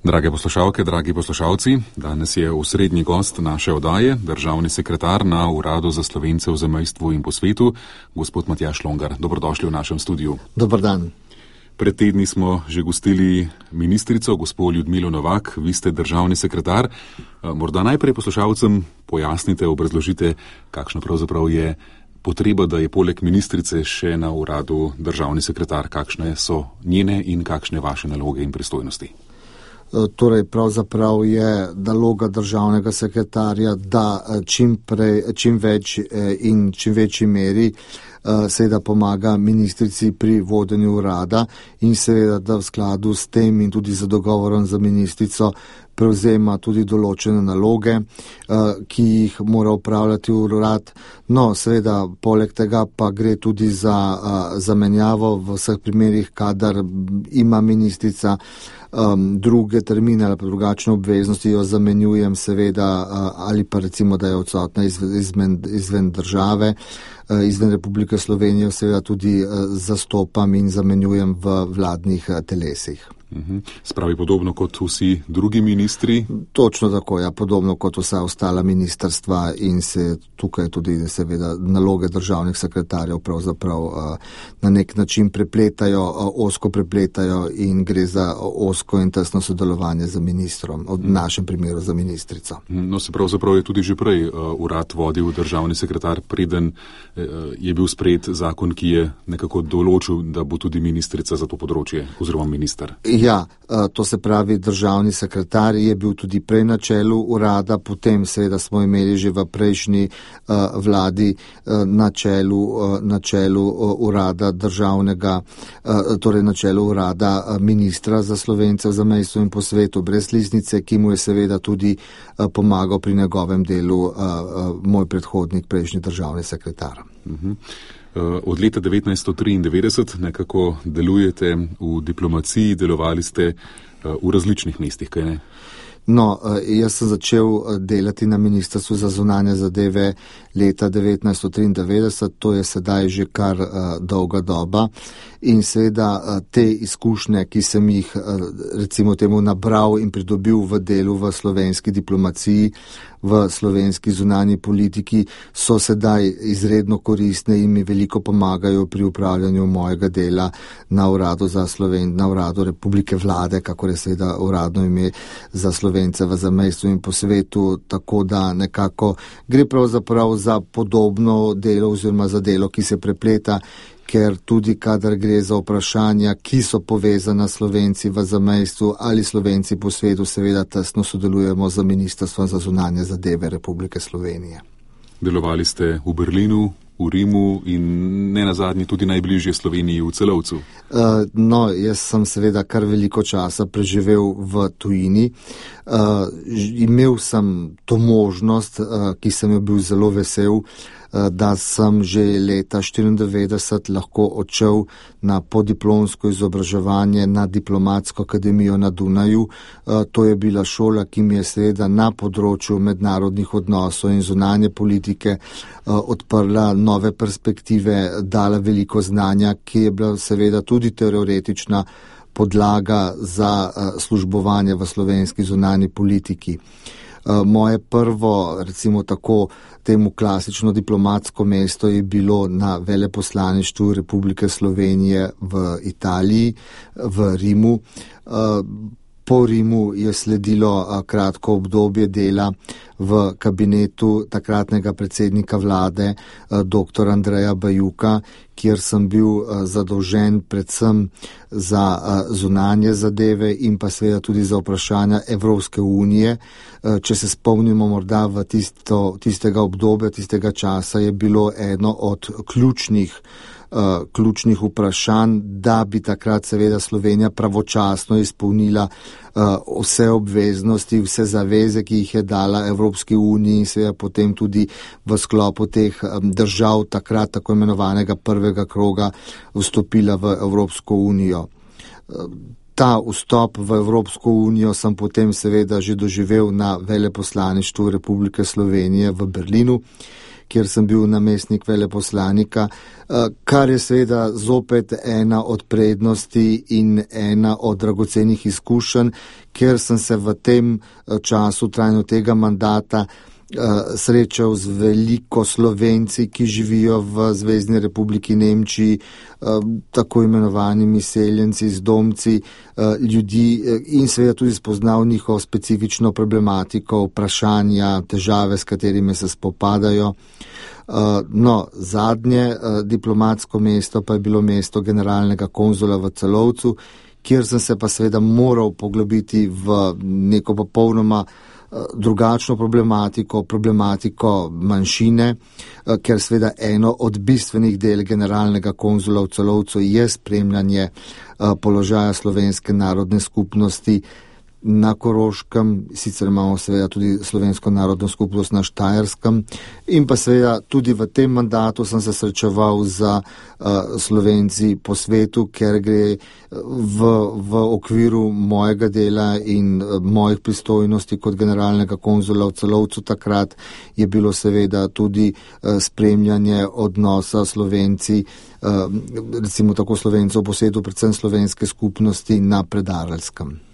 Drage poslušalke, dragi poslušalci, danes je osrednji gost naše oddaje, državni sekretar na Uradu za Slovence v zamejstvu in po svetu, gospod Matjaž Longar. Dobrodošli v našem studiu. Dobar dan. Pred tedni smo že gostili ministrico, gospod Ljudmilo Novak, vi ste državni sekretar. Morda najprej poslušalcem pojasnite, obrazložite, kakšna pravzaprav je potreba, da je poleg ministrice še na uradu državni sekretar, kakšne so njene in kakšne vaše naloge in pristojnosti. Torej, pravzaprav je naloga državnega sekretarja, da čim več in čim večji meri seveda pomaga ministrici pri vodenju urada in seveda, da v skladu s tem in tudi za dogovorom za ministrico prevzema tudi določene naloge, ki jih mora upravljati urad. No, seveda, poleg tega pa gre tudi za zamenjavo v vseh primerih, kadar ima ministrica druge termine ali pa drugačne obveznosti, jo zamenjujem seveda, ali pa recimo, da je odsotna izven države, izven Republike Slovenije, seveda tudi zastopam in zamenjujem v vladnih telesih. Spravi podobno kot vsi drugi ministri? Točno tako, ja, podobno kot vsa ostala ministrstva in se tukaj tudi seveda naloge državnih sekretarjev pravzaprav na nek način ozko prepletajo in gre za ozko in tesno sodelovanje z ministrom, v našem primeru za ministrico. No, se pravzaprav je tudi že prej urad vodil državni sekretar, preden je bil sprejet zakon, ki je nekako določil, da bo tudi ministrica za to področje oziroma minister. Ja, to se pravi, državni sekretar je bil tudi prej na čelu urada, potem seveda smo imeli že v prejšnji vladi na čelu urada državnega, torej na čelu urada ministra za Slovence v zamejstvu in po svetu brez Liznice, ki mu je seveda tudi pomagal pri njegovem delu moj predhodnik, prejšnji državni sekretar. Od leta 1993 nekako delujete v diplomaciji, delovali ste v različnih mestih, kaj ne? No, jaz sem začel delati na Ministrstvu za zunanje zadeve leta 1993, to je sedaj že kar dolga doba in seveda te izkušnje, ki sem jih recimo temu nabral in pridobil v delu v slovenski diplomaciji, v slovenski zunanji politiki, so sedaj izredno koristne in mi veliko pomagajo pri upravljanju mojega dela na uradu na uradu Republike Vlade, kakor je seveda uradno ime za Slovence v zamejstvu in po svetu, tako da nekako gre pravzaprav za podobno delo oziroma za delo, ki se prepleta, ker tudi kadar gre za vprašanja, ki so povezana Slovenci v zamejstvu ali Slovenci po svetu, seveda tesno sodelujemo z Ministrstvom za zunanje zadeve Republike Slovenije. Delovali ste v Berlinu, v Rimu in ne nazadnje tudi najbližje Sloveniji v Celovcu. No, jaz sem seveda kar veliko časa preživel v tujini. Imel sem to možnost, ki sem jo bil zelo vesel, da sem že leta 1994 lahko odšel na podiplomsko izobraževanje na Diplomatsko akademijo na Dunaju. To je bila šola, ki mi je seveda na področju mednarodnih odnosov in zunanje politike odprla nove perspektive, dala veliko znanja, ki je bila seveda tudi teoretična podlaga za službovanje v slovenski zunanji politiki. Moje prvo, recimo tako, temu klasično diplomatsko mesto je bilo na veleposlaništvu Republike Slovenije v Italiji, v Rimu. Po Rimu je sledilo kratko obdobje dela v kabinetu takratnega predsednika vlade dr. Andreja Bajuka, kjer sem bil zadolžen predvsem za zunanje zadeve in pa seveda tudi za vprašanja Evropske unije. Če se spomnimo morda v tistega obdobja, tistega časa, je bilo eno od ključnih vprašanj, da bi takrat seveda Slovenija pravočasno izpolnila vse obveznosti, vse zaveze, ki jih je dala Evropski uniji in seveda potem tudi v sklopu teh držav takrat tako imenovanega prvega kroga vstopila v Evropsko unijo. Ta vstop v Evropsko unijo sem potem seveda že doživel na veleposlaništvu Republike Slovenije v Berlinu, kjer sem bil namestnik veleposlanika, kar je seveda zopet ena od prednosti in ena od dragocenih izkušenj, ker sem se v tem času trajanja tega mandata srečal z veliko Slovenci, ki živijo v Zvezni republiki Nemčiji, tako imenovanimi seljenci, zdomci, ljudi in seveda tudi spoznal njihovo specifično problematiko, vprašanja, težave, s katerimi se spopadajo. No, zadnje diplomatsko mesto pa je bilo mesto generalnega konzula v Celovcu, kjer sem se pa seveda moral poglobiti v neko popolnoma drugačno problematiko manjšine, ker seveda eno od bistvenih del generalnega konzula v Celovcu je spremljanje položaja slovenske narodne skupnosti na Koroškem, sicer imamo seveda tudi slovensko narodno skupnost na Štajerskem in pa seveda tudi v tem mandatu sem se srečeval z Slovenci po svetu, ker gre v okviru mojega dela in mojih pristojnosti kot generalnega konzula v Celovcu takrat je bilo seveda tudi spremljanje odnosa Slovenci, recimo tako Slovencov po svetu, predvsem slovenske skupnosti na Predarelskem.